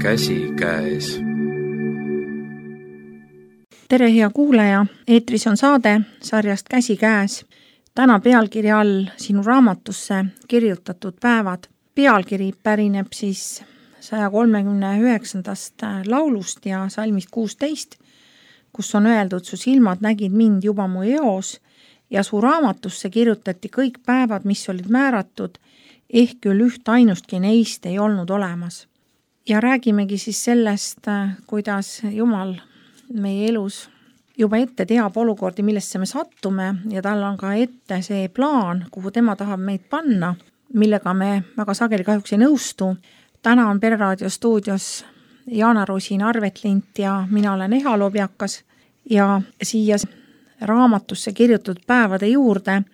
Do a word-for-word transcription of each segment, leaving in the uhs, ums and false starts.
Käsi käes. Tere hea kuulaja, eetris on saade sarjast Käsi käes. Täna pealkirja all sinu raamatusse kirjutatud päevad. Pealkiri pärineb siis saja kolmekümne üheksandast laulust ja salmist kuusteist, kus on öeldud: su silmad nägid mind juba mu eos ja su raamatusse kirjutati kõik päevad, mis olid määratud, ehk küll üht ainustki neist ei olnud olemas. Ja räägimegi siis sellest, kuidas Jumal meie elus juba ette teab olukordi, millesse me sattume, ja tal on ka ette see plaan, kuhu tema tahab meid panna, millega me väga sageli kahjuks ei nõustu. Täna on Pereraadio stuudios Jaana Rosin Arvetlint ja mina olen Eha Lobjakas, ja siia raamatusse kirjutatud päevade juurde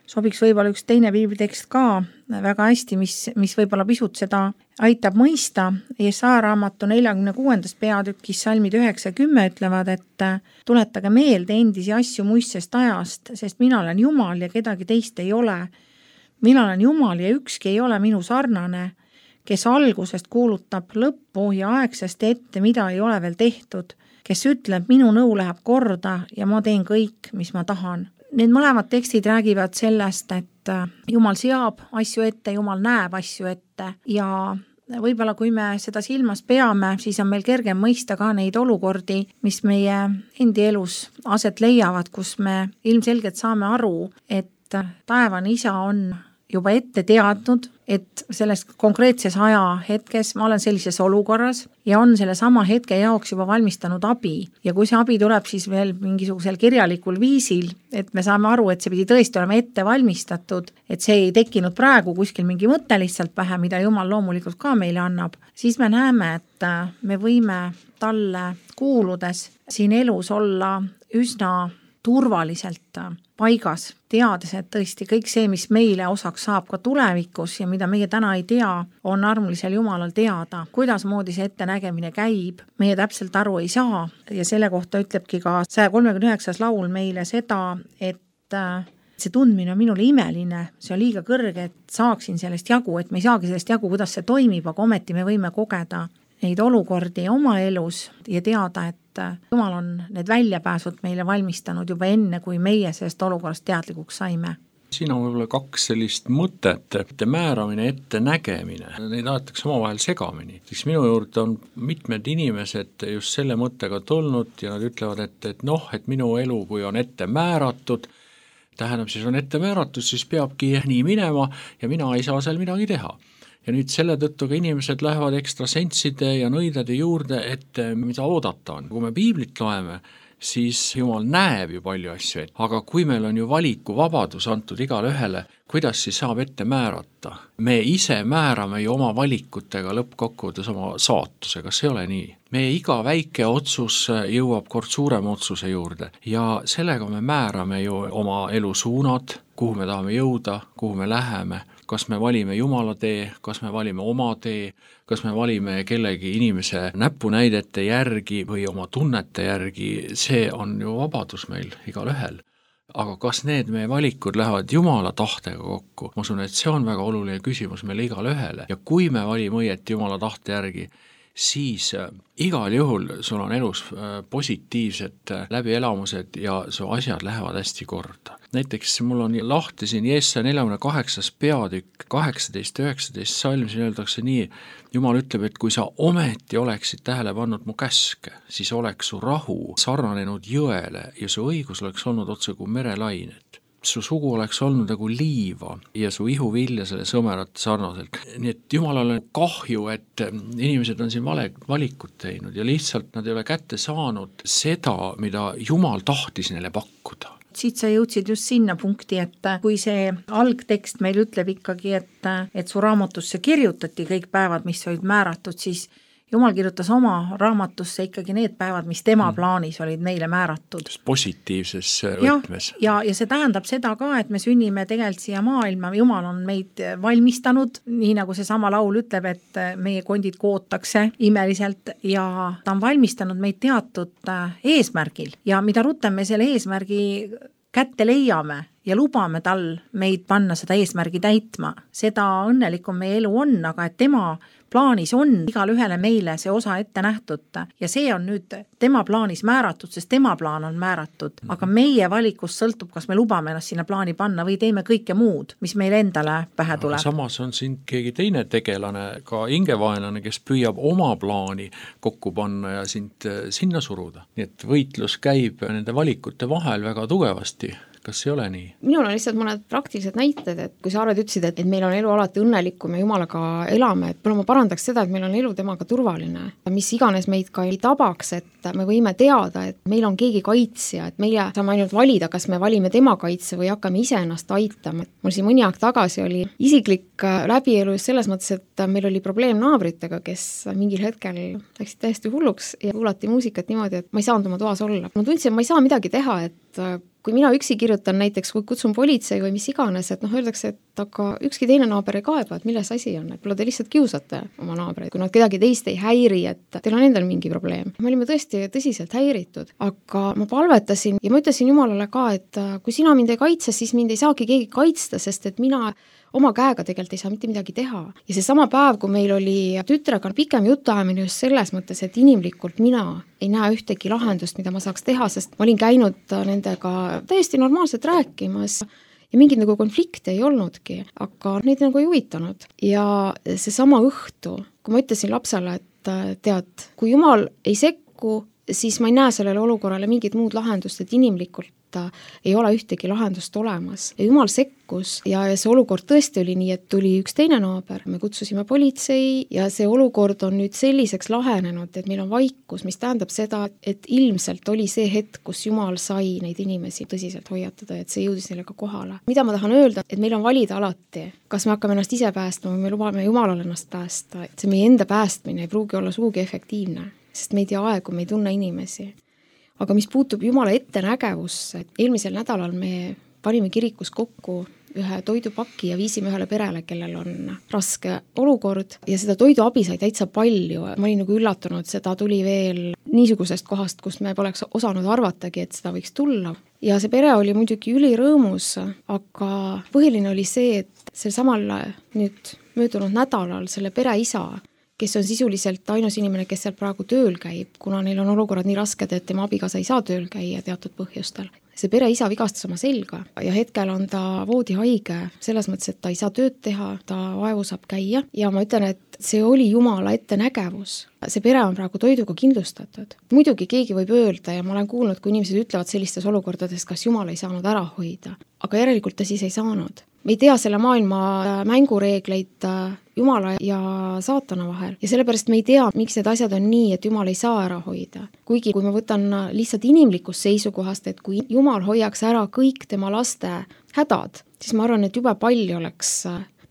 sobiks võib-olla üks teine piiblitekst ka väga hästi, mis, mis võib-olla pisut seda aitab mõista. Jesaja raamatu neljakümne kuuendas peatükis salmid üheksakümmend ütlevad, et tuletage meelde endisi asju muistsest ajast, sest mina olen Jumal ja kedagi teist ei ole. Mina olen Jumal ja ükski ei ole minu sarnane, kes algusest kuulutab lõppu ja aegsest ette, mida ei ole veel tehtud, kes ütleb, minu nõu läheb korda ja ma teen kõik, mis ma tahan. Need mõlemad tekstid räägivad sellest, et Jumal seab asju ette, Jumal näeb asju ette, ja võib-olla kui me seda silmas peame, siis on meil kergem mõista ka neid olukordi, mis meie endi elus aset leiavad, kus me ilmselgelt saame aru, et taevane isa on juba ette teadnud, et selles konkreetses aja hetkes ma olen sellises olukorras ja on selle sama hetke jaoks juba valmistanud abi. Ja kui see abi tuleb siis veel mingisugusel kirjalikul viisil, et me saame aru, et see pidi tõesti olema ette valmistatud, et see ei tekkinud praegu kuskil mingi mõte lihtsalt pähe, mida Jumal loomulikult ka meile annab, siis me näeme, et me võime talle kuuludes siin elus olla üsna turvaliselt paigas, teades, et tõesti kõik see, mis meile osaks saab ka tulevikus ja mida meie täna ei tea, on armulisel Jumalal teada. Kuidas moodi see ettenägemine käib, meie täpselt aru ei saa, ja selle kohta ütlebki ka saja kolmekümne üheksas laul meile seda, et see tundmine on minule imeline, see on liiga kõrge, et saaksin sellest jagu, et me ei saagi sellest jagu, kuidas see toimib, aga ometi me võime kogeda neid olukordi oma elus ja teada, et Jumal on need väljapääsud meile valmistanud juba enne, kui meie sellest olukorrast teadlikuks saime. Siin on võib-olla kaks sellist mõtet, ette määramine, ette nägemine. Neid aetakse oma vahel segamini. Siis minu juurde on mitmed inimesed just selle mõttega tulnud ja nad ütlevad, et, et noh, et minu elu, kui on ette määratud, tähendab siis on ette määratud, siis peabki nii minema ja mina ei saa seal midagi teha. Ja nüüd selle tõttu ka inimesed lähevad ekstra sentside ja nõidade juurde, et mida oodata on. Kui me piiblit loeme, siis Jumal näeb ju palju asju ette. Aga kui meil on ju valiku vabadus antud igale ühele, kuidas siis saab ette määrata? Me ise määrame ju oma valikutega lõppkokkuvõttes oma saatuse, kas ei ole nii? Meie iga väike otsus jõuab kord suurema otsuse juurde ja sellega me määrame ju oma elu suunad, kuhu me tahame jõuda, kuhu me läheme. Kas me valime Jumala tee, kas me valime oma tee, kas me valime kellegi inimese näpunäidete järgi või oma tunnete järgi, see on ju vabadus meil igal ühel. Aga kas need meie valikud lähevad Jumala tahtega kokku? Ma usun, et see on väga oluline küsimus meile igal ühele. Ja kui me valime õieti Jumala tahte järgi, siis igal juhul sul on elus positiivsed läbielamused ja su asjad lähevad hästi korda. Näiteks mul on lahti siin Jeesaja neljakümne kaheksas peatükk kaheksateist üheksateist salm, siin öeldakse nii, Jumal ütleb, et kui sa ometi oleksid tähele pannud mu käske, siis oleks su rahu sarnanenud jõele ja su õigus oleks olnud otse kui merelained. Su sugu oleks olnud nagu liiva ja su ihuvilja selle sõmerat sarnaselt. Nii et Jumalal on kahju, et inimesed on siin vale valikut teinud ja lihtsalt nad ei ole kätte saanud seda, mida Jumal tahtis neile pakkuda. Siit sa jõudsid just sinna punkti, et kui see algtekst meil ütleb ikkagi, et, et su raamatusse kirjutati kõik päevad, mis olid määratud, siis Jumal kirjutas oma raamatusse ikkagi need päevad, mis tema plaanis olid meile määratud. Positiivses võtmes. Ja, ja, ja see tähendab seda ka, et me sünnime tegelikult siia maailma. Jumal on meid valmistanud, nii nagu see sama laul ütleb, et meie kondid kootakse imeliselt ja ta on valmistanud meid teatud eesmärgil. Ja mida rutem me selle eesmärgi kätte leiame ja lubame tal meid panna seda eesmärgi täitma, seda õnnelikum meie elu on, aga et tema plaanis on igal ühele meile see osa ette nähtud ja see on nüüd tema plaanis määratud, sest tema plaan on määratud, aga meie valikust sõltub, kas me lubame ennast sinna plaani panna või teeme kõike muud, mis meile endale pähe tuleb. Samas on siin keegi teine tegelane, ka hingevaenlane, kes püüab oma plaani kokku panna ja sind sinna suruda. Nii et võitlus käib nende valikute vahel väga tugevasti. Kas ei ole nii? Minul on lihtsalt mõned praktilised näited, et kui sa arvad ütlesid, et meil on elu alati õnnelikum ja Jumalaga elame, et ma parandaks seda, et meil on elu temaga turvaline. Mis iganes meid ka ei tabaks, et me võime teada, et meil on keegi kaitsja, et meie saame ainult valida, kas me valime tema kaitse või hakkame ise ennast aitama. Mul siin mõni aeg tagasi oli isiklik läbielu selles mõttes, et meil oli probleem naabritega, kes mingil hetkel läksid täiesti hulluks ja kuulati muusikat niimoodi, et ma ei saanud oma toas olla. Ma tundsin, et ma ei saa midagi teha, et kui mina üksi kirjutan näiteks, kui kutsun politsei või mis iganes, et noh, öeldakse, et aga ükski teine naaber ei kaeba, et milles asi on, et pole te lihtsalt kiusate oma naabreid, kui nad kedagi teist ei häiri, et teil on endal mingi probleem. Me olime tõesti tõsiselt häiritud, aga ma palvetasin ja ma ütlesin Jumalale ka, et kui sina mind ei kaitse, siis mind ei saagi keegi kaitsta, sest et mina oma käega tegelikult ei saa mitte midagi teha. Ja see sama päev, kui meil oli tütrega pikem jutuajamine just selles mõttes, et inimlikult mina ei näe ühtegi lahendust, mida ma saaks teha, sest ma olin käinud nendega täiesti normaalselt rääkimas ja mingit nagu konflikte ei olnudki, aga neid nagu ei huvitanud. Ja see sama õhtu, kui ma ütlesin lapsele, et tead, kui Jumal ei sekku, siis ma ei näe sellele olukorrale mingit muud lahendust, et inimlikult ei ole ühtegi lahendust olemas. Ja Jumal sekkus ja see olukord tõesti oli nii, et tuli üks teine naaber, me kutsusime politsei ja see olukord on nüüd selliseks lahenenud, et meil on vaikus, mis tähendab seda, et ilmselt oli see hetk, kus Jumal sai neid inimesi tõsiselt hoiatada, et see jõudis neile ka kohale. Mida ma tahan öelda, et meil on valida alati, kas me hakkame ennast ise päästma või me lubame Jumalal ennast päästa, et see meie enda päästmine ei pruugi olla suugi efektiivne, sest me ei tea aegu, me ei tunne inimesi. Aga mis puutub Jumala ettenägevusse, eelmisel nädalal me panime kirikus kokku ühe toidupaki ja viisime ühele perele, kellel on raske olukord ja seda toiduabi sai täitsa palju. Ma olin nagu üllatunud, seda tuli veel niisugusest kohast, kus me poleks osanud arvatagi, et seda võiks tulla. Ja see pere oli muidugi ülirõõmus, aga põhiline oli see, et sel samal nüüd möödunud nädalal selle pere isa, kes on sisuliselt ainus inimene, kes seal praegu tööl käib, kuna neil on olukorrad nii rasked, et tema abikaasa ei saa tööl käia teatud põhjustel. See pere isa vigastas oma selga ja hetkel on ta voodihaige selles mõttes, et ta ei saa tööd teha, ta vaevu saab käia ja ma ütlen, et see oli Jumala ettenägevus. See pere on praegu toiduga kindlustatud. Muidugi keegi võib öelda ja ma olen kuulnud, kui inimesed ütlevad sellistes olukordades, kas Jumal ei saanud ära hoida, aga järelikult ta siis ei saanud. Me ei tea selle maailma mängureegleid Jumala ja saatana vahel ja sellepärast me ei tea, miks need asjad on nii, et Jumal ei saa ära hoida. Kuigi kui ma võtan lihtsalt inimlikust seisukohast, et kui Jumal hoiaks ära kõik tema laste hädad, siis ma arvan, et jube palju oleks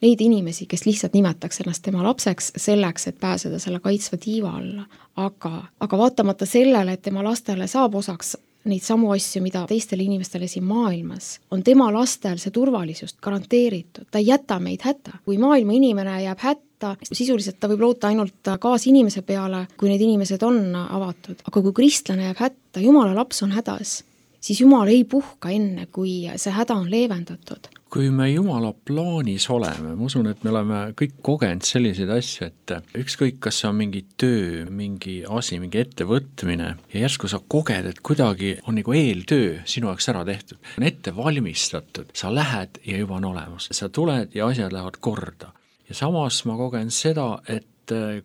neid inimesi, kes lihtsalt nimetaks ennast tema lapseks selleks, et pääseda selle kaitsva tiiva alla. Aga, aga vaatamata sellele, et tema lastele saab osaks neid samu asju, mida teistele inimestele siin maailmas, on tema lastel see turvalisust garanteeritud. Ta ei jäta meid hätta. Kui maailma inimene jääb hätta, sisuliselt ta võib loota ainult kaas inimese peale, kui need inimesed on avatud. Aga kui kristlane jääb hätta, Jumala laps on hädas, siis Jumal ei puhka enne, kui see häda on leevendatud. Kui me Jumala plaanis oleme, ma usun, et me oleme kõik kogenud selliseid asju, et ükskõik, kas see on mingi töö, mingi asi, mingi ettevõtmine ja järsku sa koged, et kuidagi on nagu eeltöö sinu jaoks ära tehtud, on ette valmistatud, sa lähed ja juba on olemas, sa tuled ja asjad lähevad korda. Ja samas ma kogen seda, et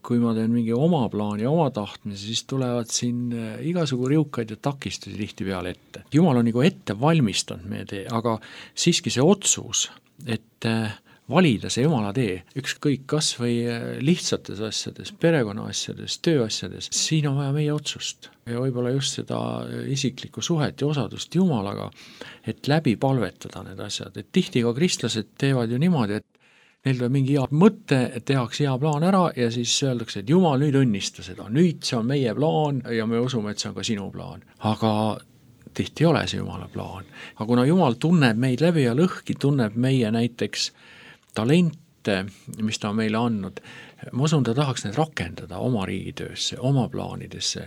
kui ma teen mingi oma plaani, oma tahtmise, siis tulevad siin igasugu riukaid ja takistusi tihti peale ette. Jumal on nagu ette valmistanud meie tee, aga siiski see otsus, et valida see Jumala tee, ükskõik kas või lihtsates asjades, perekonna asjades, tööasjades, siin on vaja meie otsust. Ja võib-olla just seda isiklikku suhet ja osadust Jumalaga, et läbi palvetada need asjad. Et tihti ka kristlased teevad ju niimoodi, et neil tuleb mingi hea mõte, et tehakse hea plaan ära ja siis öeldakse, et Jumal nüüd õnnista seda, nüüd see on meie plaan ja me usume, et see on ka sinu plaan. Aga tihti ei ole see Jumala plaan. Aga kuna Jumal tunneb meid läbi ja lõhki, tunneb meie näiteks talente, mis ta on meile andnud, ma usun, ta tahaks need rakendada oma riigitöösse, oma plaanidesse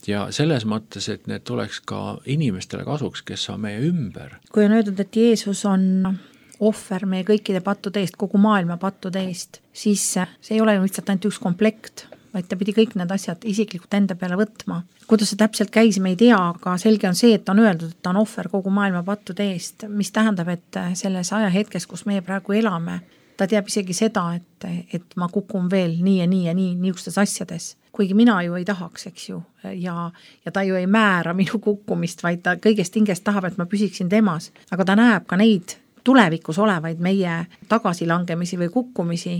ja selles mõttes, et need tuleks ka inimestele kasuks, kes on meie ümber. Kui on öeldud, et Jeesus on ohver meie kõikide pattude eest, kogu maailma pattude eest, siis see ei ole ju lihtsalt ainult üks komplekt, vaid ta pidi kõik need asjad isiklikult enda peale võtma. Kuidas see täpselt käis, me ei tea, aga selge on see, et on öeldud, et ta on ohver kogu maailma pattude eest, mis tähendab, et selles ajahetkes, kus meie praegu elame, ta teab isegi seda, et, et ma kukun veel nii ja nii ja nii niisugustes asjades. Kuigi mina ju ei tahaks, eks ju, ja, ja ta ju ei määra minu kukkumist, vaid ta kõigest hingest tahab, et ma püsiksin temas. Aga ta näeb ka neid tulevikus olevaid meie tagasilangemisi või kukkumisi,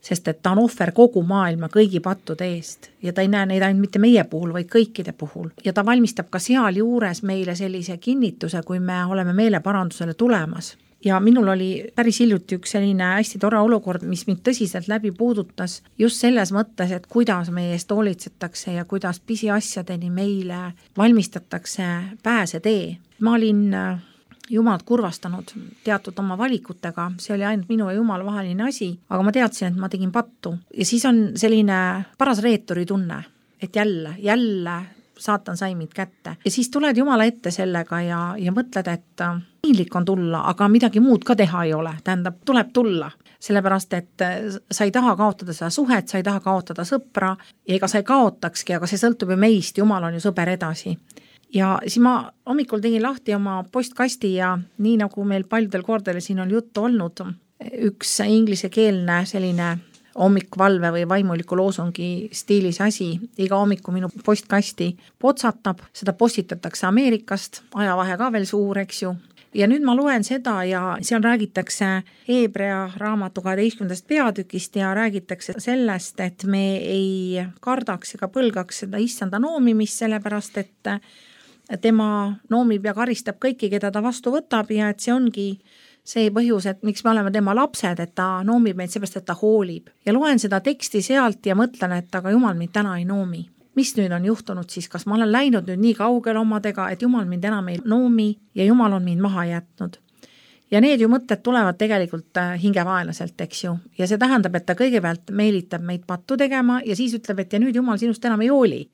sest et ta on ohver kogu maailma kõigi pattude eest ja ta ei näe neid ainult mitte meie puhul, vaid kõikide puhul. Ja ta valmistab ka seal juures meile sellise kinnituse, kui me oleme meeleparandusele tulemas. Ja minul oli päris hiljuti üks selline hästi tore olukord, mis mind tõsiselt läbi puudutas just selles mõttes, et kuidas meie eest hoolitsetakse ja kuidas pisiasjadeni meile valmistatakse pääsetee. Ma olin Jumalat kurvastanud teatud oma valikutega, see oli ainult minu ja Jumala vaheline asi, aga ma teadsin, et ma tegin pattu. Ja siis on selline paras reeturi tunne, et jälle, jälle saatan sai mind kätte. Ja siis tuled Jumala ette sellega ja, ja mõtled, et piinlik on tulla, aga midagi muud ka teha ei ole. Tähendab, tuleb tulla, sellepärast, et sa ei taha kaotada seda suhet, sa ei taha kaotada sõpra ja ega sa ei kaotakski, aga see sõltub ju meist, Jumal on ju sõber edasi. Ja siis ma hommikul tegin lahti oma postkasti ja nii nagu meil paljudel kordadel siin on juttu olnud, üks inglisekeelne selline hommikvalve või vaimuliku loosungi stiilis asi, iga hommiku minu postkasti potsatab, seda postitatakse Ameerikast, ajavahe ka veel suur, eks ju. Ja nüüd ma loen seda ja seal räägitakse Hebrea raamatu kaheteistkümnendast peatükist ja räägitakse sellest, et me ei kardaks ega põlgaks seda issanda noomimist, sellepärast et tema noomib ja karistab kõiki, keda ta vastu võtab ja et see ongi see põhjus, et miks me oleme tema lapsed, et ta noomib meid seepärast, et ta hoolib. Ja loen seda teksti sealt ja mõtlen, et aga Jumal mind täna ei noomi. Mis nüüd on juhtunud siis, kas ma olen läinud nüüd nii kaugele omadega, et Jumal mind enam ei noomi ja Jumal on mind maha jätnud. Ja need ju mõtted tulevad tegelikult hingevaelaselt, eks ju. Ja see tähendab, et ta kõigepealt meelitab meid pattu tegema ja siis ütleb, et ja nüüd Jumal sinust enam ei hooli.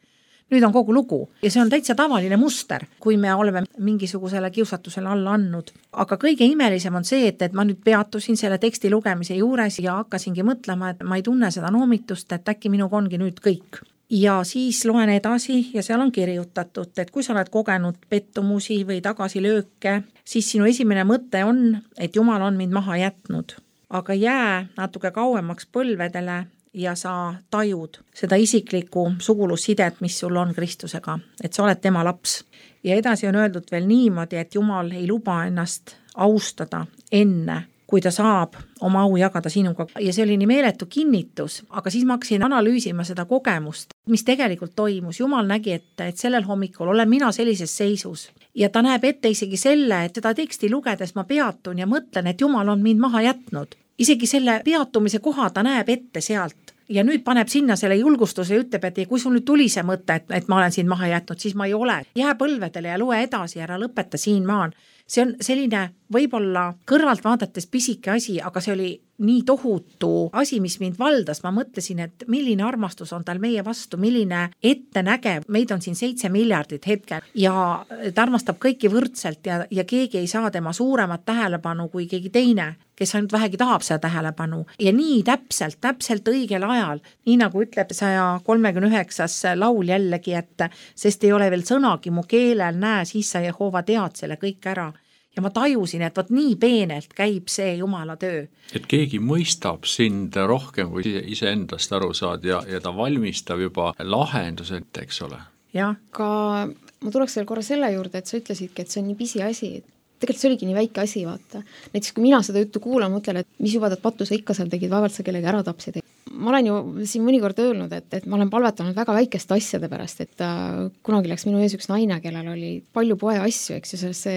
Nüüd on kogu lugu ja see on täitsa tavaline muster, kui me oleme mingisugusele kiusatusele alla andnud. Aga kõige imelisem on see, et, et ma nüüd peatusin selle teksti lugemise juures ja hakkasingi mõtlema, et ma ei tunne seda noomitust, et äkki minuga ongi nüüd kõik. Ja siis loen edasi ja seal on kirjutatud, et kui sa oled kogenud pettumusi või tagasilööke, siis sinu esimene mõte on, et Jumal on mind maha jätnud. Aga jää natuke kauemaks põlvedele ja sa tajud seda isiklikku sugulussidet, mis sul on Kristusega, et sa oled tema laps. Ja edasi on öeldud veel niimoodi, et Jumal ei luba ennast austada enne, kui ta saab oma au jagada sinuga. Ja see oli nii meeletu kinnitus, aga siis ma hakkasin analüüsima seda kogemust, mis tegelikult toimus. Jumal nägi, et, et sellel hommikul olen mina sellises seisus ja ta näeb ette isegi selle, et seda teksti lugedes ma peatun ja mõtlen, et Jumal on mind maha jätnud. Isegi selle peatumise koha ta näeb ette sealt ja nüüd paneb sinna selle julgustuse ja ütleb, et kui sul nüüd tuli see mõte, et, et ma olen siin maha jätnud, siis ma ei ole. Jää põlvedele ja loe edasi, ära lõpeta siin maan. See on selline võib-olla kõrvalt vaadates pisike asi, aga see oli nii tohutu asi, mis mind valdas. Ma mõtlesin, et milline armastus on tal meie vastu, milline ettenägev. Meid on siin seitse miljardit hetkel ja ta armastab kõiki võrdselt ja, ja keegi ei saa tema suuremat tähelepanu kui keegi teine, kes ainult vähegi tahab seda tähelepanu. Ja nii täpselt, täpselt õigel ajal, nii nagu ütleb saja kolmekümne üheksas laul jällegi, et sest ei ole veel sõnagi mu keelel, näe, siis sa Jehova tead selle kõik ära. Ja ma tajusin, et võt nii peenelt käib see Jumala töö. Et keegi mõistab sind rohkem, kui ise endast aru saad ja, ja ta valmistab juba lahendused, eks ole. Ja. Ka ma tuleks veel korra selle juurde, et sa ütlesidki, et see on nii pisi asi, et tegelikult see oligi nii väike asi, vaata. Näiteks kui mina seda juttu kuulan, mõtlen, et mis jubadat pattu sa ikka seal tegid, vaevalt sa kellegi ära tapsid. Ma olen ju siin mõnikord öelnud, et, et ma olen palvetanud väga väikeste asjade pärast, et uh, kunagi läks minu ees üks naine, kellel oli palju poe asju, eks ju, sellesse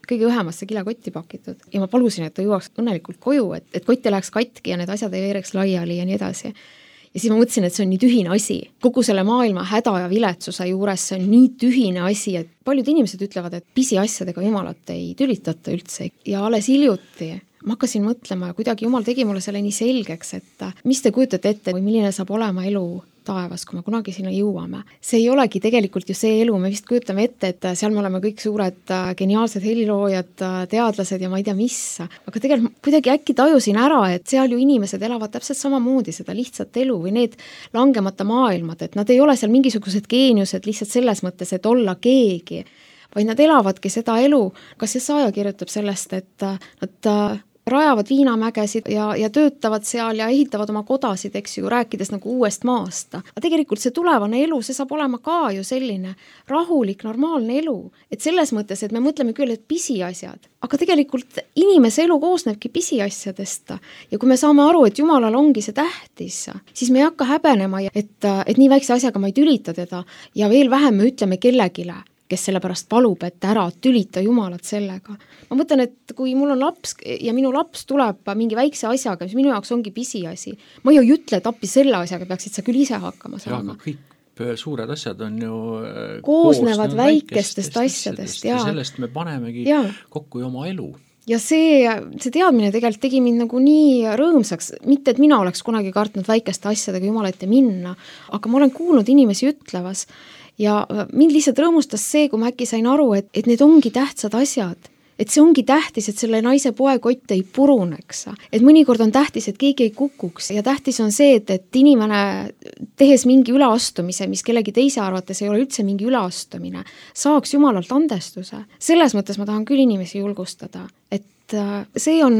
kõige õhemasse kilekotti pakitud. Ja ma palusin, et ta jõuaks õnnelikult koju, et, et kott ei läheks katki ja need asjad ei veereks laiali ja nii edasi. Ja siis ma mõtlesin, et see on nii tühine asi. Kogu selle maailma häda ja viletsuse juures see on nii tühine asi, et paljud inimesed ütlevad, et pisiasjadega Jumalat ei tülitata üldse. Ja alles hiljuti ma hakkasin mõtlema ja kuidagi Jumal tegi mulle selle nii selgeks, et mis te kujutate ette või milline saab olema elu taevas, kui me kunagi sinna jõuame. See ei olegi tegelikult ju see elu, me vist kujutame ette, et seal me oleme kõik suured geniaalsed heliloojad, teadlased ja ma ei tea mis, aga tegelikult kuidagi äkki tajusin ära, et seal ju inimesed elavad täpselt samamoodi seda lihtsat elu või need langemata maailmad, et nad ei ole seal mingisugused geeniused lihtsalt selles mõttes, et olla keegi, vaid nad elavadki seda elu. Kas see saaja kirjutab sellest, et nad rajavad viinamägesid ja, ja töötavad seal ja ehitavad oma kodasid, eks ju, rääkides nagu uuest maast. Aga tegelikult see tulevane elu, see saab olema ka ju selline rahulik, normaalne elu. Et selles mõttes, et me mõtleme küll, et pisiasjad, aga tegelikult inimese elu koosnebki pisiasjadest. Ja kui me saame aru, et Jumalal ongi see tähtis, siis me ei hakka häbenema, et, et nii väikse asjaga ma ei tülita teda ja veel vähem me ütleme kellegile, kes sellepärast palub, et ära tülita Jumalat sellega. Ma mõtlen, et kui mul on laps ja minu laps tuleb mingi väikse asjaga, mis minu jaoks ongi pisiasi, ma ju ei ütle, et appi selle asjaga peaksid sa küll ise hakkama saama. Ja, kõik suured asjad on ju koosnevad väikestest asjadest. Ja sellest me panemegi ja. kokku oma elu. Ja see, see teadmine tegelikult tegi mind nagu nii rõõmsaks, mitte et mina oleks kunagi kartnud väikeste asjadega Jumala ette minna, aga ma olen kuulnud inimesi ütlevas, ja mind lihtsalt rõõmustas see, kui ma äkki sain aru, et, et need ongi tähtsad asjad. Et see ongi tähtis, et selle naise poekott ei puruneks. Et mõnikord on tähtis, et keegi ei kukuks ja tähtis on see, et, et inimene tehes mingi üleastumise, mis kellegi teise arvates ei ole üldse mingi üleastumine, saaks Jumalalt andestuse. Selles mõttes ma tahan küll inimesi julgustada, et see on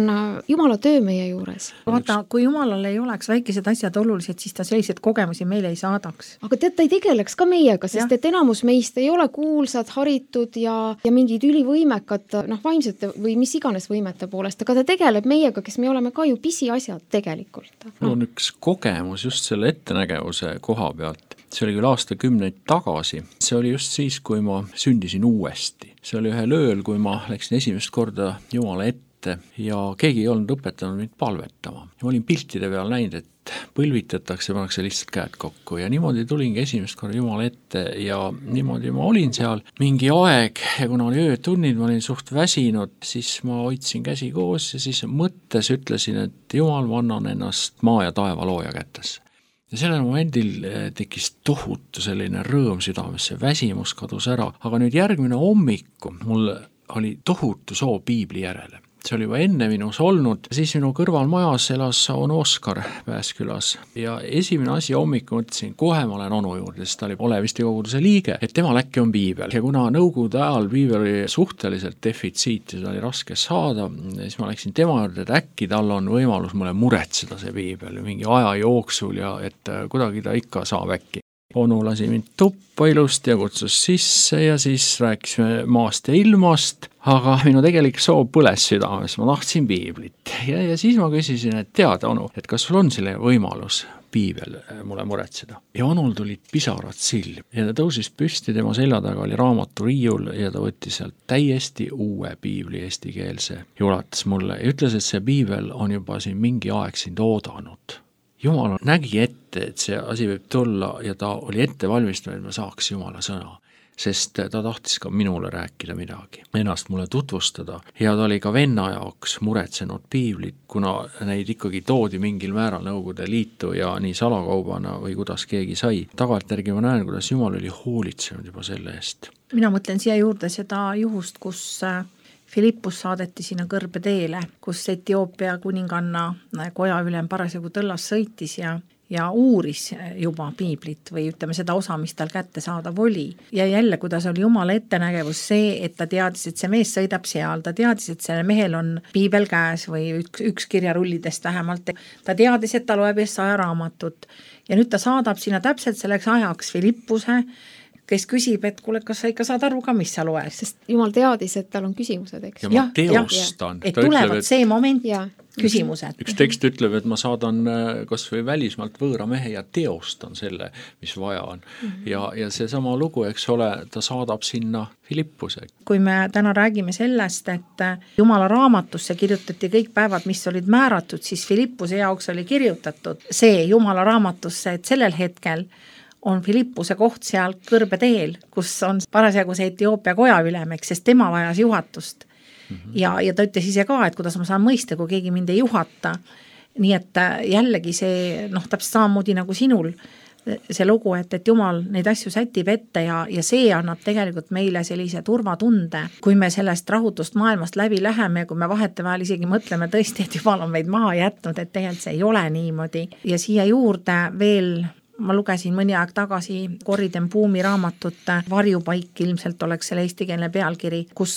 Jumala töö meie juures. Vaata, kui Jumalal ei oleks väikesed asjad olulised, siis ta sellised kogemusi meile ei saadaks. Aga tead, ta ei tegeleks ka meiega, sest ja. et enamus meist ei ole kuulsad, haritud ja, ja mingid ülivõimekad, noh, vaimsete või mis iganes võimete poolest, aga ta tegeleb meiega, kes me oleme ka ju pisiasjad tegelikult. Mul on üks kogemus just selle ettenägevuse koha pealt. See oli küll aastakümneid tagasi. See oli just siis, kui ma sündisin uuesti. See oli ühel ööl, kui ma läksin esimest korda Jumala ette ja keegi ei olnud õpetanud mind palvetama. Ja ma olin piltide peal näinud, et põlvitatakse, pannakse lihtsalt käed kokku ja niimoodi tulingi esimest korda Jumala ette ja niimoodi ma olin seal mingi aeg ja kuna oli öötunnid, ma olin suht väsinud, siis ma hoidsin käsi koos ja siis mõttes ütlesin, et Jumal, ma annan ennast maa ja taeva looja kätesse. Ja sellel momendil tekkis tohutu selline rõõm südamesse, väsimus kadus ära, aga nüüd järgmine hommiku mul oli tohutu soov piibli järele. See oli juba enne minus olnud, siis minu kõrval majas elas on Oskar Pääskülas ja esimene asi hommiku mõtlesin, kohe ma olen onu juurde, sest ta oli Oleviste koguduse liige, et temal äkki on piibel ja kuna nõukogude ajal piibel oli suhteliselt defitsiit ja seda oli raske saada, siis ma läksin tema juurde, et äkki tal on võimalus mulle muretseda see piibel mingi aja jooksul ja et kuidagi ta ikka saab äkki. Onu lasi mind tuppa ilusti ja kutsus sisse ja siis rääkisime maast ja ilmast, aga minu tegelik soov põles südames, ma tahtsin piiblit. Ja, ja siis ma küsisin, et tead, onu, et kas sul on selle võimalus piibel mulle muretseda. Ja onul tulid pisarad silm ja ta tõusis püsti, tema selja taga oli raamatu riiul ja ta võttis sealt täiesti uue piibli eestikeelse ja ulatas mulle ja ütles, et see piibel on juba siin mingi aeg sind oodanud. Jumal nägi ette, et see asi võib tulla ja ta oli ette valmistunud, et ma saaks Jumala sõna, sest ta tahtis ka minule rääkida midagi, ennast mulle tutvustada ja ta oli ka venna jaoks muretsenud piiblit, kuna neid ikkagi toodi mingil määral Nõukogude Liitu ja nii salakaubana või kuidas keegi sai. Tagantjärgi ma näen, kuidas Jumal oli hoolitsenud juba selle eest. Mina mõtlen siia juurde seda juhust, kus Filippus saadeti sinna kõrbeteele, kus Etioopia kuninganna koja ülem parasjagu tõllas sõitis ja, ja uuris juba piiblit või ütleme seda osa, mis tal kätte saadav oli. Ja jälle, kuidas oli Jumala ettenägevus see, et ta teadis, et see mees sõidab seal, ta teadis, et selle mehel on piibel käes või üks, üks kirjarullidest vähemalt. Ta teadis, et ta loeb Jesaja raamatut ja nüüd ta saadab sinna täpselt selleks ajaks Filippuse, kes küsib, et kuule, kas sa ikka saad aru ka, mis sa loed? Sest Jumal teadis, et tal on küsimused, eks? Ja ma teostan. Et tulevad see moment ja. küsimused. Üks tekst ütleb, et ma saadan kas või välismaalt võõra mehe ja teostan selle, mis vaja on. Mm-hmm. Ja, ja see sama lugu, eks ole, ta saadab sinna Filippuse. Kui me täna räägime sellest, et Jumala raamatusse kirjutati kõik päevad, mis olid määratud, siis Filippuse jaoks oli kirjutatud see Jumala raamatusse, et sellel hetkel on Filippuse koht seal kõrbeteel, kus on parasjagu see Etioopia kojaülemeks, sest tema vajas juhatust. Mm-hmm. Ja, ja ta ütles ise ka, et kuidas ma saan mõista, kui keegi mind ei juhata. Nii et jällegi see, noh, täpselt samamoodi nagu sinul see lugu, et, et Jumal neid asju sätib ette ja, ja see annab tegelikult meile sellise turvatunde, kui me sellest rahutust maailmast läbi läheme ja kui me vahetevahel isegi mõtleme tõesti, et Jumal on meid maha jätnud, et tegelikult see ei ole niimoodi. Ja siia juurde veel ma lugesin mõni aeg tagasi Corrie ten Boom'i raamatut Varjupaik, ilmselt oleks selle eestikeelne pealkiri, kus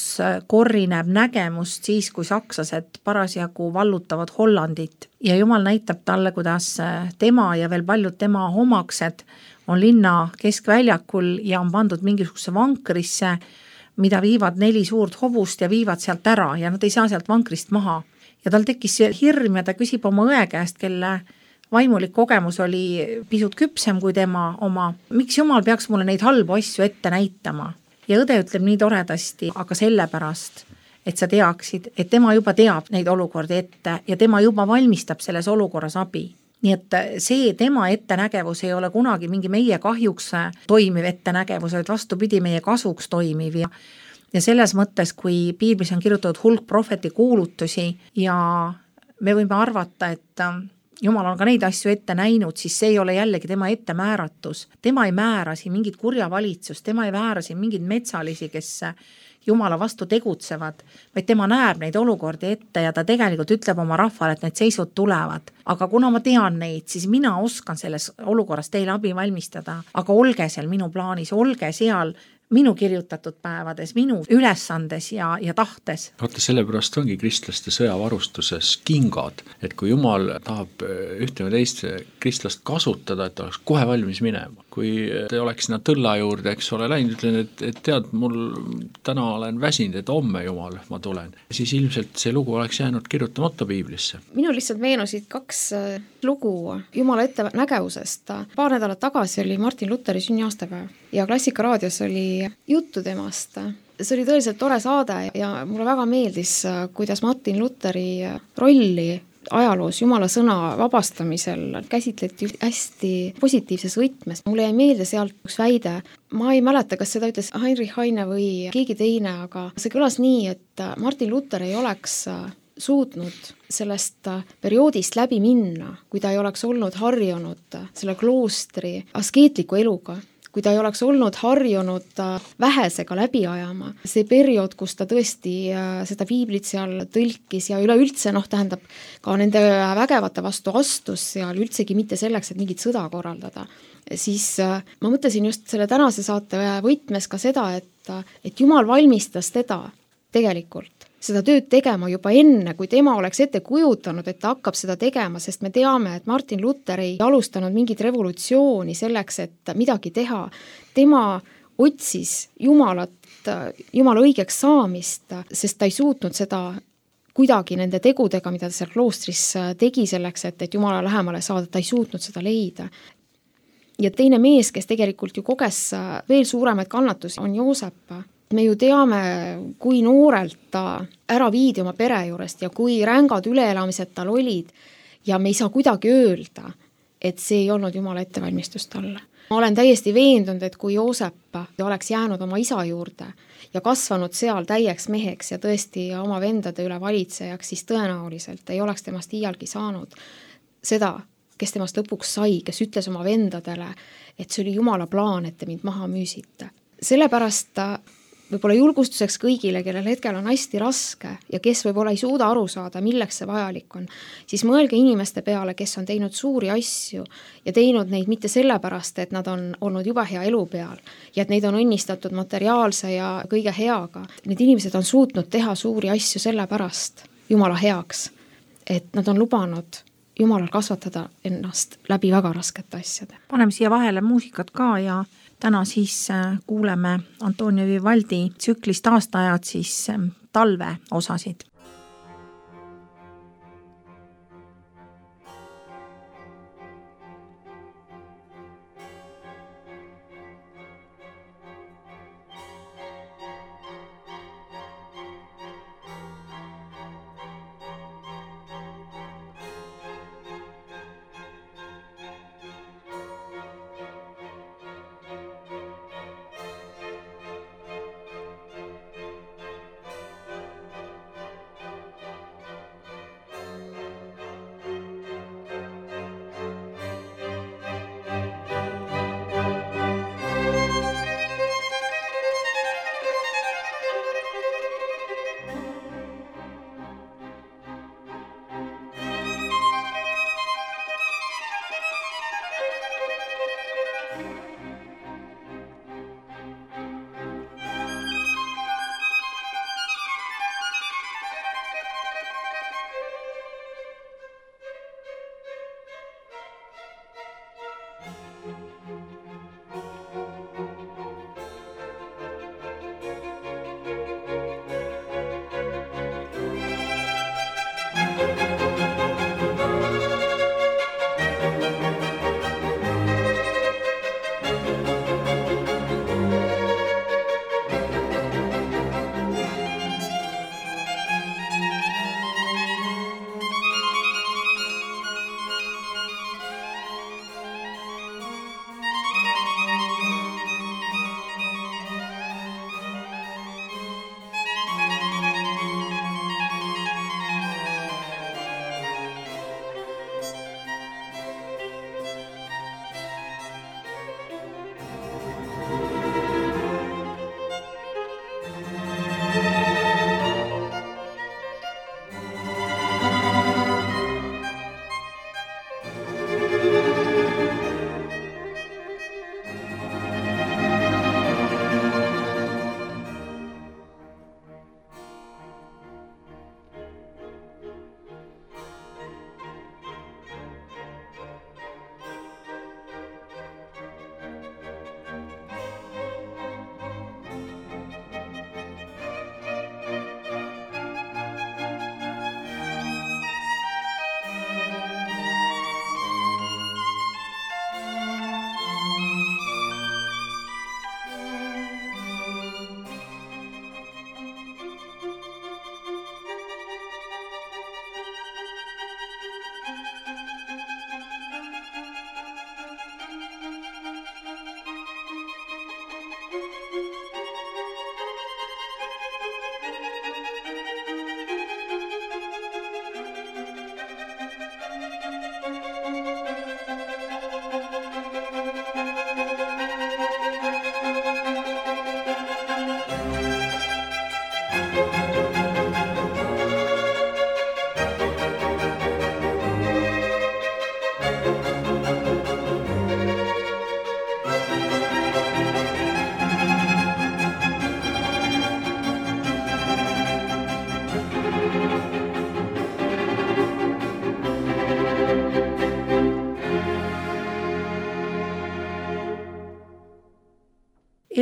Corrie näeb nägemust siis, kui sakslased parasjagu vallutavad Hollandit ja Jumal näitab talle, kuidas tema ja veel paljud tema omaksed on linna keskväljakul ja on pandud mingisuguse vankrisse, mida viivad neli suurt hobust ja viivad sealt ära ja nad ei saa sealt vankrist maha. Ja tal tekkis hirm ja ta küsib oma õe käest, kelle vaimulik kogemus oli pisut küpsem kui tema oma. Miks Jumal peaks mulle neid halbu asju ette näitama? Ja õde ütleb nii toredasti, aga sellepärast, et sa teaksid, et tema juba teab neid olukordi ette ja tema juba valmistab selles olukorras abi. Nii et see tema ettenägevus ei ole kunagi mingi meie kahjuks toimiv ettenägevus, vaid vastupidi meie kasuks toimiv ja ja selles mõttes, kui piiblis on kirjutatud hulk prohveti kuulutusi ja me võime arvata, et Jumal on ka neid asju ette näinud, siis see ei ole jällegi tema ette määratus. Tema ei määra siin mingit kurja valitsust, tema ei määra siin mingid metsalisi, kes Jumala vastu tegutsevad, vaid tema näeb neid olukordi ette ja ta tegelikult ütleb oma rahvale, et need seisud tulevad. Aga kuna ma tean neid, siis mina oskan selles olukorras teile abi valmistada, aga olge seal minu plaanis, olge seal minu kirjutatud päevades, minu ülesandes ja, ja tahtes. Vaata, sellepärast ongi kristlaste sõjavarustuses kingad, et kui Jumal tahab ühte või teist kristlast kasutada, et oleks kohe valmis minema. Kui te oleks sinna tõlla juurde, eks ole, läinud, ütlen, et, et tead, mul täna olen väsinud, et homme Jumal, ma tulen. Siis ilmselt see lugu oleks jäänud kirjutamata piiblisse. Minu lihtsalt meenusid kaks lugu Jumala ettenägevusest. Paar nädalat tagasi oli Martin Lutheri sünniaastapäev ja Klassika raadios oli juttu temast. See oli tõeliselt tore saade ja mulle väga meeldis, kuidas Martin Lutheri rolli ajaloos Jumala sõna vabastamisel käsitleti hästi positiivses võtmes. Mulle jäi meelde sealt üks väide, ma ei mäleta, kas seda ütles Heinrich Heine või keegi teine, aga see kõlas nii, et Martin Luther ei oleks suutnud sellest perioodist läbi minna, kui ta ei oleks olnud harjunud selle kloostri askeetliku eluga, kui ta ei oleks olnud harjunud vähesega läbi ajama. See periood, kus ta tõesti seda piiblit seal tõlkis ja üleüldse, noh, tähendab ka nende vägevate vastu astus seal üldsegi mitte selleks, et mingit sõda korraldada. Siis ma mõtlesin just selle tänase saate võtmes ka seda, et, et Jumal valmistas teda tegelikult seda tööd tegema juba enne, kui tema oleks ette kujutanud, et ta hakkab seda tegema, sest me teame, et Martin Luther ei alustanud mingit revolutsiooni selleks, et midagi teha. Tema otsis Jumalat, Jumala õigeks saamist, sest ta ei suutnud seda kuidagi nende tegudega, mida ta seal kloostris tegi selleks, et, et Jumala lähemale saada, ta ei suutnud seda leida. Ja teine mees, kes tegelikult ju koges veel suuremaid kannatusi, on Joosep. Me ju teame, kui noorelt ta ära viidi oma pere juurest ja kui rängad üleelamised tal olid ja me ei saa kuidagi öelda, et see ei olnud Jumala ettevalmistus talle. Ma olen täiesti veendunud, et kui Joosep oleks jäänud oma isa juurde ja kasvanud seal täieks meheks ja tõesti oma vendade üle valitsejaks, siis tõenäoliselt ei oleks temast iialgi saanud seda, kes temast lõpuks sai, kes ütles oma vendadele, et see oli Jumala plaan, et te mind maha müüsite. Sellepärast võib-olla julgustuseks kõigile, kellel hetkel on hästi raske ja kes võib-olla ei suuda aru saada, milleks see vajalik on, siis mõelge inimeste peale, kes on teinud suuri asju ja teinud neid mitte sellepärast, et nad on olnud juba hea elu peal ja et neid on õnnistatud materiaalse ja kõige heaga. Need inimesed on suutnud teha suuri asju sellepärast Jumala heaks, et nad on lubanud Jumalal kasvatada ennast läbi väga raskete asjade. Paneme siia vahele muusikat ka ja täna siis kuuleme Antonio Vivaldi tsüklist aastaajad siis talve osasid.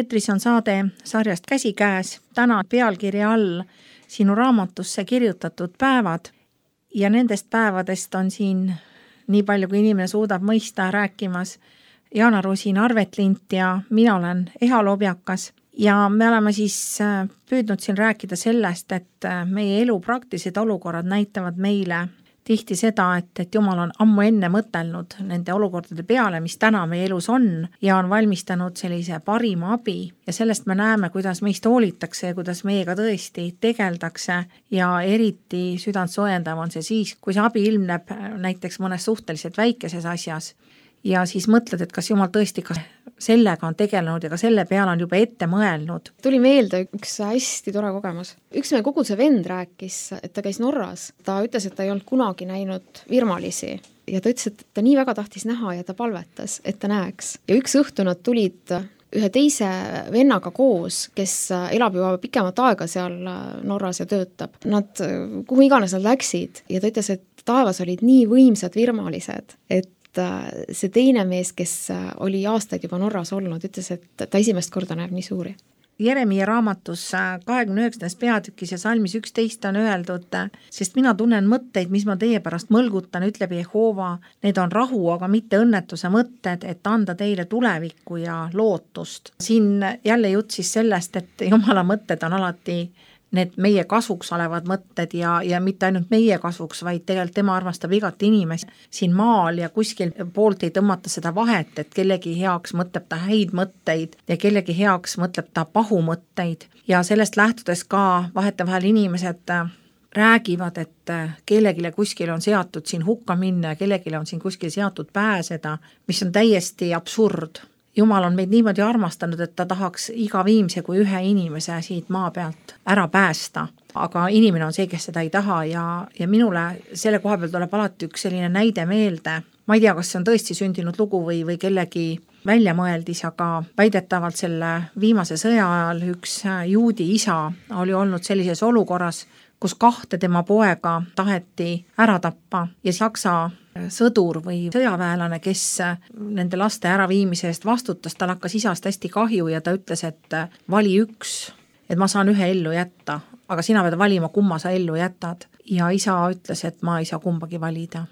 Eetris on saade sarjast Käsikäes, täna pealkirja all sinu raamatusse kirjutatud päevad ja nendest päevadest on siin nii palju, kui inimene suudab mõista rääkimas Jaana Rusin Arvetlint ja mina olen Eha Lobjakas ja me oleme siis püüdnud siin rääkida sellest, et meie elu praktilised olukorrad näitavad meile tihti seda, et, et Jumal on ammu enne mõtelnud nende olukordade peale, mis täna meie elus on ja on valmistanud sellise parima abi ja sellest me näeme, kuidas meist hoolitakse ja kuidas meiega tõesti tegeldakse ja eriti südant soojendav on see siis, kui see abi ilmneb näiteks mõnes suhteliselt väikeses asjas ja siis mõtled, et kas Jumal tõesti ka sellega on tegelenud ja ka selle peale on juba ette mõelnud. Tuli meelde üks hästi tore kogemus. Üks meie koguduse vend rääkis, et ta käis Norras. Ta ütles, et ta ei olnud kunagi näinud virmalisi ja ta ütles, et ta nii väga tahtis näha ja ta palvetas, et ta näeks. Ja üks õhtu nad tulid ühe teise vennaga koos, kes elab juba pikemat aega seal Norras ja töötab. Nad, kuhu iganes nad läksid ja ta ütles, et taevas olid nii võimsad virmalised, et see teine mees, kes oli aastaid juba Norras olnud, ütles, et ta esimest korda näeb nii suuri. Jeremia raamatus kahekümne üheksandas peatükis ja salmis üksteist on öeldud, sest mina tunnen mõtteid, mis ma teie pärast mõlgutan, ütleb Jehova, need on rahu, aga mitte õnnetuse mõtted, et anda teile tulevikku ja lootust. Siin jälle jutt siis sellest, et Jumala mõtted on alati need meie kasuks olevad mõtted ja, ja mitte ainult meie kasuks, vaid tegelikult tema armastab igat inimest siin maal ja kuskil poolt ei tõmmata seda vahet, et kellegi heaks mõtleb ta häid mõtteid ja kellegi heaks mõtleb ta pahu mõtteid ja sellest lähtudes ka vahetevahel inimesed räägivad, et kellegile kuskil on seatud siin hukka minna ja kellegile on siin kuskil seatud pääseda, mis on täiesti absurd. Jumal on meid niimoodi armastanud, et ta tahaks iga viimse kui ühe inimese siit maa pealt ära päästa. Aga inimene on see, kes seda ei taha ja, ja minule selle koha peal tuleb alati üks selline näide meelde. Ma ei tea, kas see on tõesti sündinud lugu või, või kellegi väljamõeldis, aga väidetavalt selle viimase sõja ajal üks juudi isa oli olnud sellises olukorras, kus kahte tema poega taheti ära tappa ja Saksa sõdur või sõjaväelane, kes nende laste äraviimise eest vastutas, tal hakkas isast hästi kahju ja ta ütles, et vali üks, et ma saan ühe ellu jätta, aga sina pead valima, kumma sa ellu jätad. Ja isa ütles, et ma ei saa kumbagi valida,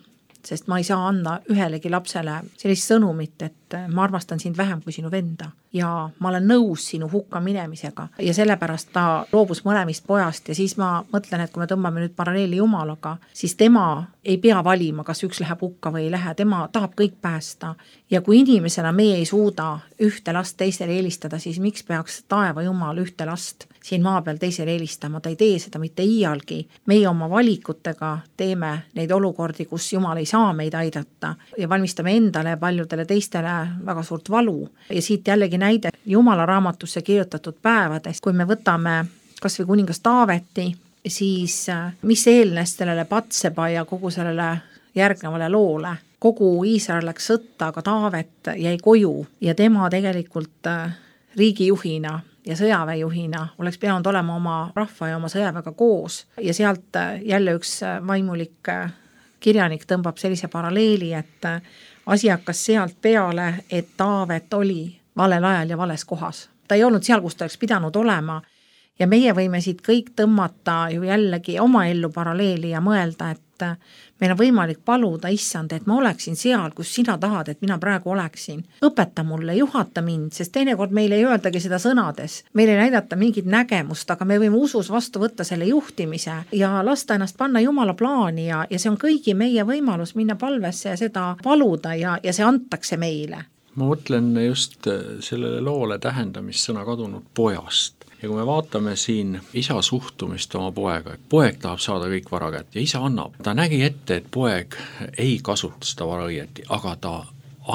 sest ma ei saa anda ühelegi lapsele sellist sõnumit, et ma armastan sind vähem kui sinu venda ja ma olen nõus sinu hukka minemisega ja sellepärast ta loobus mõlemist pojast ja siis ma mõtlen, et kui me tõmbame nüüd paralleeli Jumalaga, siis tema ei pea valima, kas üks läheb hukka või ei lähe, tema tahab kõik päästa ja kui inimesena meie ei suuda ühte last teisele eelistada, siis miks peaks taeva Jumal ühte last siin maa peal teisele eelistama, ta ei tee seda mitte iialgi. Meie oma valikutega teeme neid olukordi, kus Jumal ei saa meid aidata ja valmistame endale ja paljudele teistele väga suurt valu. Ja siit jällegi näide Jumala raamatusse kirjutatud päevadest, kui me võtame kas või kuningas Taaveti, siis mis eelnes sellele Patseba ja kogu sellele järgnevale loole. Kogu Iisrael läks sõtta, aga Taavet jäi koju ja tema tegelikult riigijuhina ja sõjaväejuhina oleks pidanud olema oma rahva ja oma sõjaväega koos ja sealt jälle üks vaimulik kirjanik tõmbab sellise paralleeli, et asi hakkas sealt peale, et Taavet oli valel ajal ja vales kohas. Ta ei olnud seal, kus ta oleks pidanud olema ja meie võime siit kõik tõmmata ju jällegi oma ellu paralleeli ja mõelda, et meil on võimalik paluda, issand, et ma oleksin seal, kus sina tahad, et mina praegu oleksin. Õpeta mulle, juhata mind, sest teinekord meil ei öeldagi seda sõnades. Meil ei näidata mingit nägemust, aga me võime usus vastu võtta selle juhtimise ja lasta ennast panna Jumala plaani ja, ja see on kõigi meie võimalus minna palvesse ja seda paluda ja, ja see antakse meile. Ma mõtlen just sellele loole tähendamissõna kadunud pojast. Ja kui me vaatame siin isa suhtumist oma poega, et poeg tahab saada kõik vara kätt ja isa annab. Ta nägi ette, et poeg ei kasuta seda vara õieti, aga ta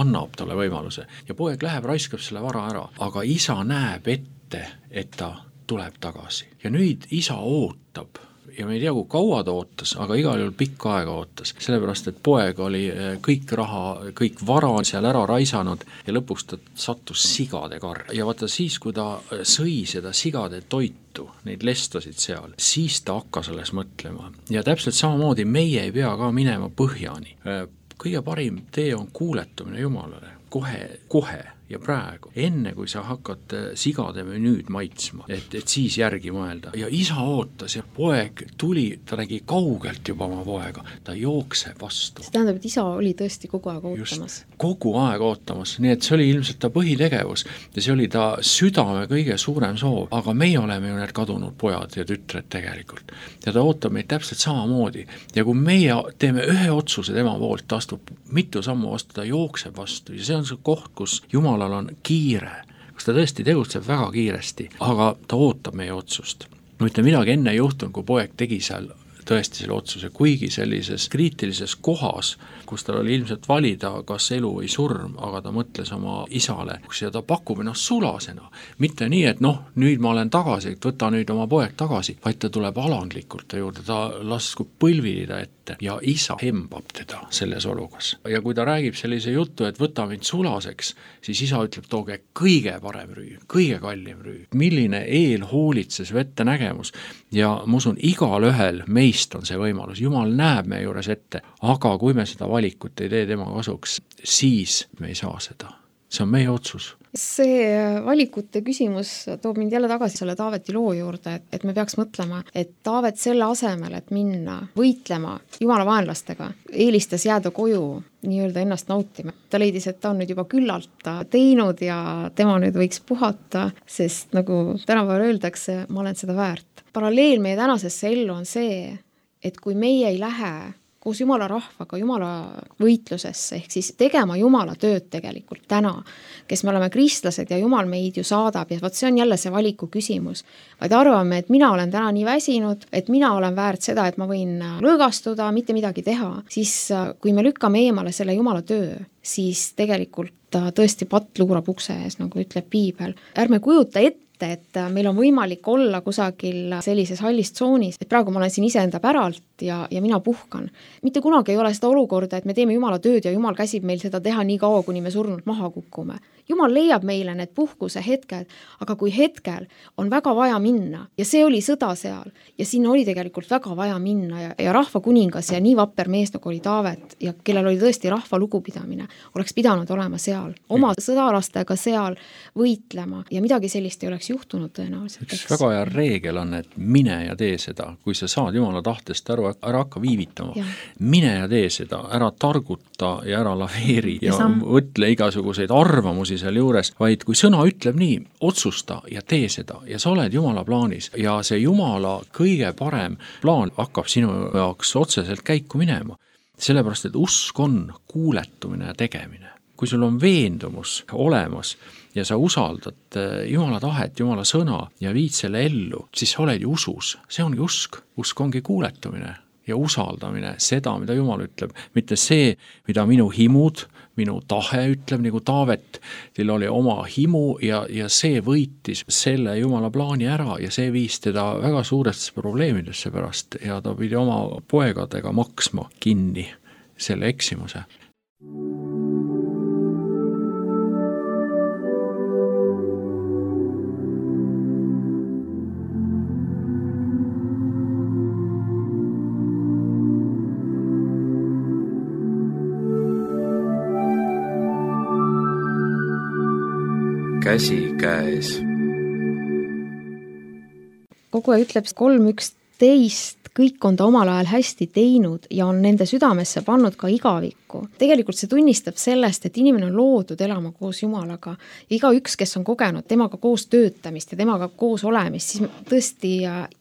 annab talle võimaluse. Ja poeg läheb, raiskab selle vara ära, aga isa näeb ette, et ta tuleb tagasi. Ja nüüd isa ootab. Ja me ei tea, kui kaua ta ootas, aga igal juhul pikka aega ootas. Sellepärast, et poeg oli kõik raha, kõik vara seal ära raisanud ja lõpuks ta sattus sigade karja. Ja vaata siis, kui ta sõi seda sigade toitu, neid lestosid seal, siis ta hakkas alles mõtlema. Ja täpselt samamoodi meie ei pea ka minema põhjani. Kõige parim tee on kuuletumine Jumalale. Kohe, kohe ja praegu, enne kui sa hakkad sigade menüüd maitsma, et, et siis järgi mõelda. Ja isa ootas ja poeg tuli, ta nägi kaugelt juba oma poega, ta jookseb vastu. See tähendab, et isa oli tõesti kogu aeg ootamas. Just, kogu aeg ootamas, nii et see oli ilmselt ta põhitegevus ja see oli ta südame kõige suurem soov, aga meie oleme ju need kadunud pojad ja tütred tegelikult. Ja ta ootab meid täpselt samamoodi ja kui meie teeme ühe otsuse tema poolt, ta astub mitu sammu vastu, ta jookseb vastu ja see on see koht, kus Jumalal on kiire, kus ta tõesti tegutseb väga kiiresti, aga ta ootab meie otsust. Mitte midagi enne ei juhtunud, kui poeg tegi seal tõesti selle otsuse, kuigi sellises kriitilises kohas, kus tal oli ilmselt valida, kas elu või surm, aga ta mõtles oma isale ja ta pakub ennast sulasena. Mitte nii, et noh, nüüd ma olen tagasi, et võta nüüd oma poeg tagasi, vaid ta tuleb alandlikult ta juurde, ta laskub põlvilida ette ja isa hembab teda selles olukas. Ja kui ta räägib sellise juttu, et võta mind sulaseks, siis isa ütleb, tooge kõige parem rüü, kõige kallim rüü. Milline eelhoolitses vette nägemus ja ma usun, igal ühel meist on see võimalus. Jumal näeb meie juures ette, aga kui me seda valikut ei tee tema kasuks, siis me ei saa seda. See on meie otsus. See valikute küsimus toob mind jälle tagasi selle Taaveti loo juurde, et, et me peaks mõtlema, et Taavet selle asemel, et minna võitlema Jumala vaenlastega, eelistas jääda koju nii-öelda ennast nautima. Ta leidis, et ta on nüüd juba küllalt teinud ja tema nüüd võiks puhata, sest nagu tänapäeval öeldakse, ma olen seda väärt. Paralleel meie tänasesse ellu on see, et kui meie ei lähe koos Jumala rahvaga, Jumala võitlusesse, ehk siis tegema Jumala tööd tegelikult täna, kes me oleme kristlased ja Jumal meid ju saadab ja võt see on jälle see valiku küsimus. Vaid arvame, et mina olen täna nii väsinud, et mina olen väärt seda, et ma võin lõõgastuda, mitte midagi teha, siis kui me lükkame eemale selle Jumala töö, siis tegelikult tõesti patt luurab ukse ees, nagu ütleb piibel. Ärme kujuta ette, et meil on võimalik olla kusagil sellises hallis tsoonis, et praegu ma olen siin iseenda päralt ja, ja mina puhkan. Mitte kunagi ei ole seda olukorda, et me teeme Jumala tööd ja Jumal käsib meil seda teha nii kaua, kuni me surnult maha kukume. Jumal leiab meile need puhkuse hetked, aga kui hetkel on väga vaja minna ja see oli sõda seal ja sinna oli tegelikult väga vaja minna ja, ja rahva kuningas ja nii vapper mees nagu oli Taavet ja kellel oli tõesti rahva lugupidamine, oleks pidanud olema seal, oma sõdalastega seal võitlema ja midagi sellist ei oleks juhtunud tõenäoliselt. Üks väga hea reegel on, et mine ja tee seda, kui sa saad Jumala tahtest aru, ära hakka viivitama, ja. mine ja tee seda, ära targuta ja ära laveeri ja, ja võtle igasuguseid arvamusi seal juures, vaid kui sõna ütleb nii, otsusta ja tee seda ja sa oled Jumala plaanis ja see Jumala kõige parem plaan hakkab sinu jaoks otseselt käiku minema. Sellepärast, et usk on kuuletumine ja tegemine. Kui sul on veendumus olemas ja sa usaldad Jumala tahet, Jumala sõna ja viid selle ellu, siis sa oled ju usus. See ongi usk. Usk ongi kuuletumine ja usaldamine, seda, mida Jumal ütleb, mitte see, mida minu himud, minu tahe ütleb, nagu Taavet, teil oli oma himu ja, ja see võitis selle Jumala plaani ära ja see viis teda väga suuresse probleemidesse pärast ja ta pidi oma poegadega maksma kinni selle eksimuse. Käsi käes. Koguja ütleb kolm üksteist, kõik on ta omal ajal hästi teinud ja on nende südamesse pannud ka igavikku. Tegelikult see tunnistab sellest, et inimene on loodud elama koos Jumalaga. Iga üks, kes on kogenud temaga koos töötamist ja temaga koos olemist, siis tõesti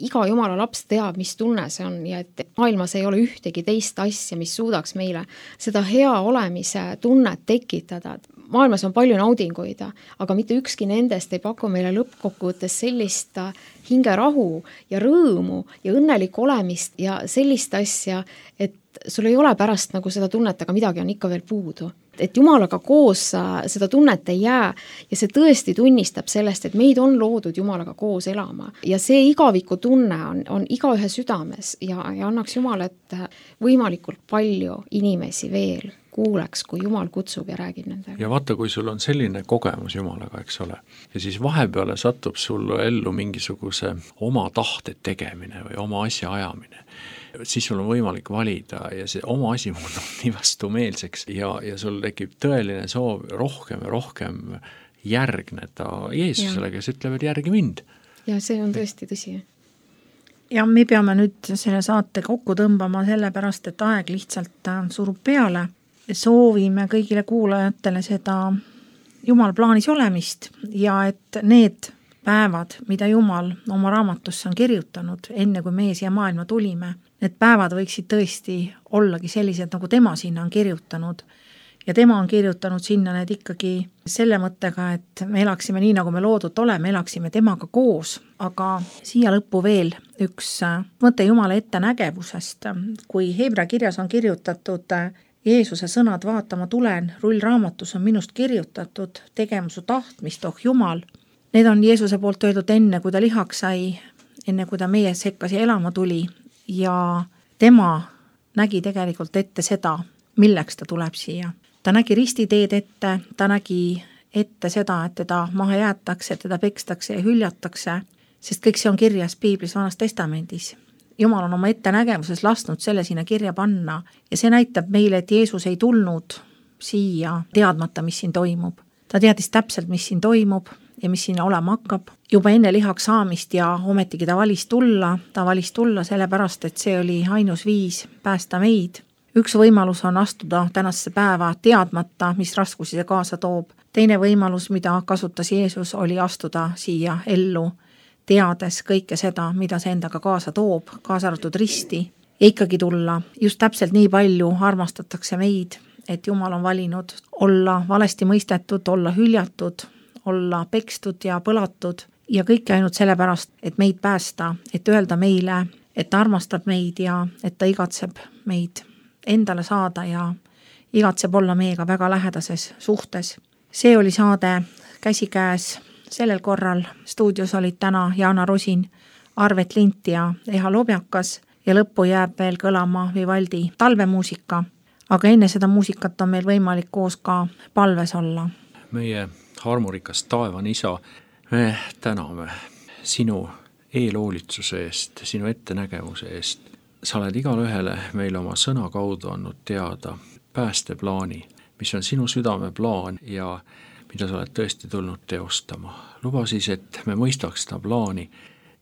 iga Jumala laps teab, mis tunne see on ja et maailmas ei ole ühtegi teist asja, mis suudaks meile seda hea olemise tunnet tekitada. Maailmas on palju naudinguid, aga mitte ükski nendest ei paku meile lõppkokkuvõttes sellist hingerahu ja rõõmu ja õnnelikku olemist ja sellist asja, et sul ei ole pärast nagu seda tunnet, aga midagi on ikka veel puudu. Et Jumalaga koos seda tunnet ei jää ja see tõesti tunnistab sellest, et meid on loodud Jumalaga koos elama. Ja see igaviku tunne on, on iga ühe südames ja, ja annaks Jumal, et võimalikult palju inimesi veel kuuleks, kui Jumal kutsub ja räägib nendega. Ja vaata, kui sul on selline kogemus Jumalaga, eks ole, ja siis vahepeale satub sul ellu mingisuguse oma tahte tegemine või oma asja ajamine, siis sul on võimalik valida ja see oma asi muutub nii vastumeelseks ja, ja sul tekib tõeline soov rohkem ja rohkem järgneda Jeesusele, kes ütleb, et järgi mind. Ja see on tõesti tõsi. Ja me peame nüüd selle saate kokku tõmbama sellepärast, et aeg lihtsalt surub peale. Soovime kõigile kuulajatele seda Jumal plaanis olemist ja et need päevad, mida Jumal oma raamatusse on kirjutanud, enne kui meie siia maailma tulime, need päevad võiksid tõesti ollagi sellised, nagu tema sinna on kirjutanud. Ja tema on kirjutanud sinna need ikkagi selle mõttega, et me elaksime nii, nagu me loodud oleme, elaksime temaga koos, aga siia lõppu veel üks mõte Jumala ettenägevusest. Kui Hebra kirjas on kirjutatud Jeesuse sõnad vaatama tulen, rullraamatus on minust kirjutatud, tegema su tahtmist, oh Jumal. Need on Jeesuse poolt öeldud enne, kui ta lihaks sai, enne kui ta meie sekkas ja elama tuli ja tema nägi tegelikult ette seda, milleks ta tuleb siia. Ta nägi ristiteed ette, ta nägi ette seda, et teda maha jäetakse, teda pekstakse ja hüljatakse, sest kõik see on kirjas Piiblis Vanas Testamendis. Jumal on oma ettenägevuses lasknud selle sinna kirja panna ja see näitab meile, et Jeesus ei tulnud siia teadmata, mis siin toimub. Ta teadis täpselt, mis siin toimub ja mis siin olema hakkab. Juba enne lihaks saamist ja ometigi ta valis tulla, ta valis tulla sellepärast, et see oli ainus viis päästa meid. Üks võimalus on astuda tänasesse päeva teadmata, mis raskusi see kaasa toob. Teine võimalus, mida kasutas Jeesus, oli astuda siia ellu, teades kõike seda, mida see endaga kaasa toob, kaasa arvatud risti, ja ikkagi tulla. Just täpselt nii palju armastatakse meid, et Jumal on valinud olla valesti mõistetud, olla hüljatud, olla pekstud ja põlatud ja kõike ainult sellepärast, et meid päästa, et öelda meile, et ta armastab meid ja et ta igatseb meid endale saada ja igatseb olla meiega väga lähedases suhtes. See oli saade Käsikäes, sellel korral stuudios olid täna Jaana Rusin, Arvet Lint ja Eha Lobjakas ja lõppu jääb veel kõlama Vivaldi talvemuusika, aga enne seda muusikat on meil võimalik koos ka palves olla. Meie armurikas taevan isa, me täname sinu eelhoolitsuse eest, sinu ettenägemuse eest. Sa oled igale ühele meile oma sõna kaudu andnud teada päästeplaani, mis on sinu südame plaan ja mida sa oled tõesti tulnud teostama. Luba siis, et me mõistaks seda plaani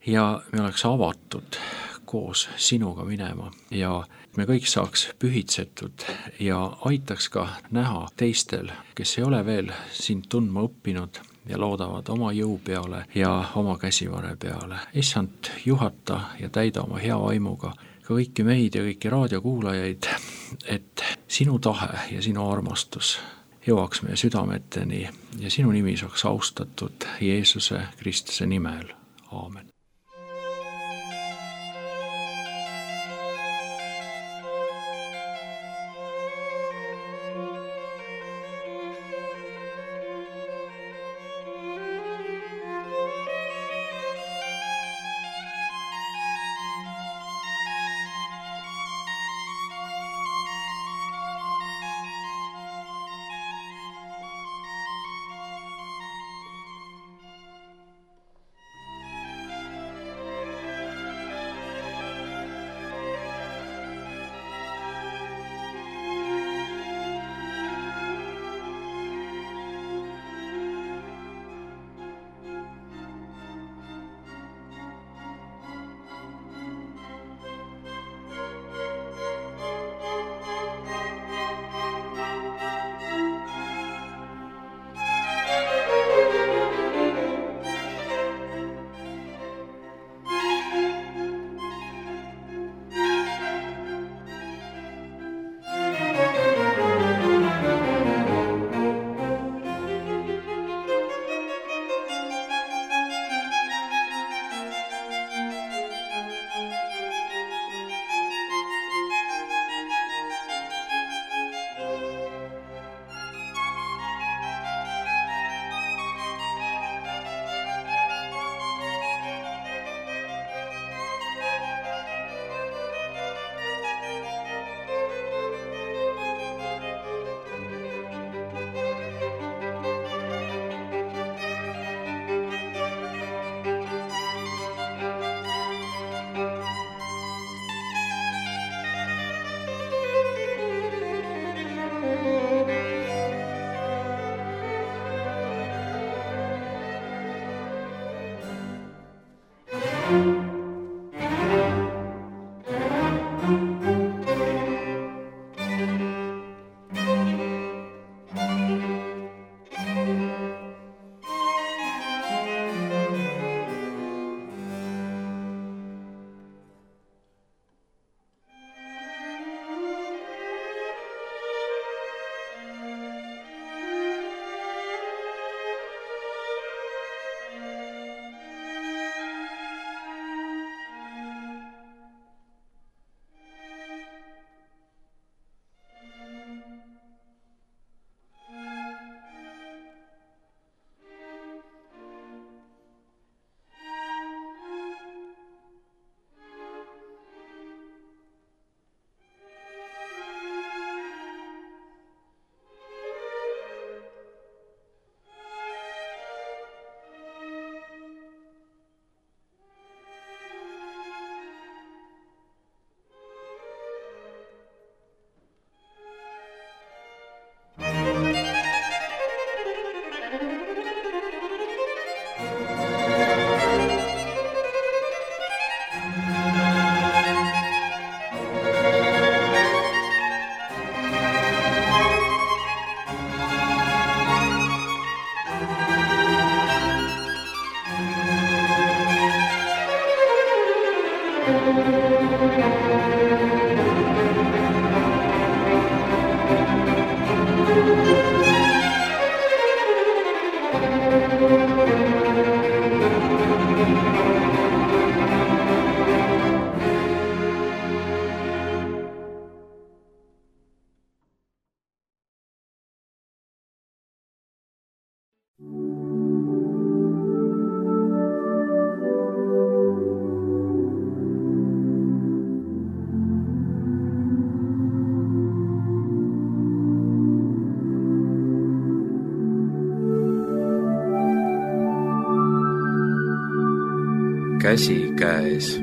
ja me oleks avatud koos sinuga minema ja me kõik saaks pühitsetud ja aitaks ka näha teistel, kes ei ole veel sind tundma õppinud ja loodavad oma jõu peale ja oma käsivare peale. Issand, juhata ja täida oma hea vaimuga ka kõiki meid ja kõiki raadiokuulajaid, et sinu tahe ja sinu armastus jõuaks meie südameteni ja sinu nimi saaks austatud Jeesuse Kristuse nimel. Aamen. käsikäes.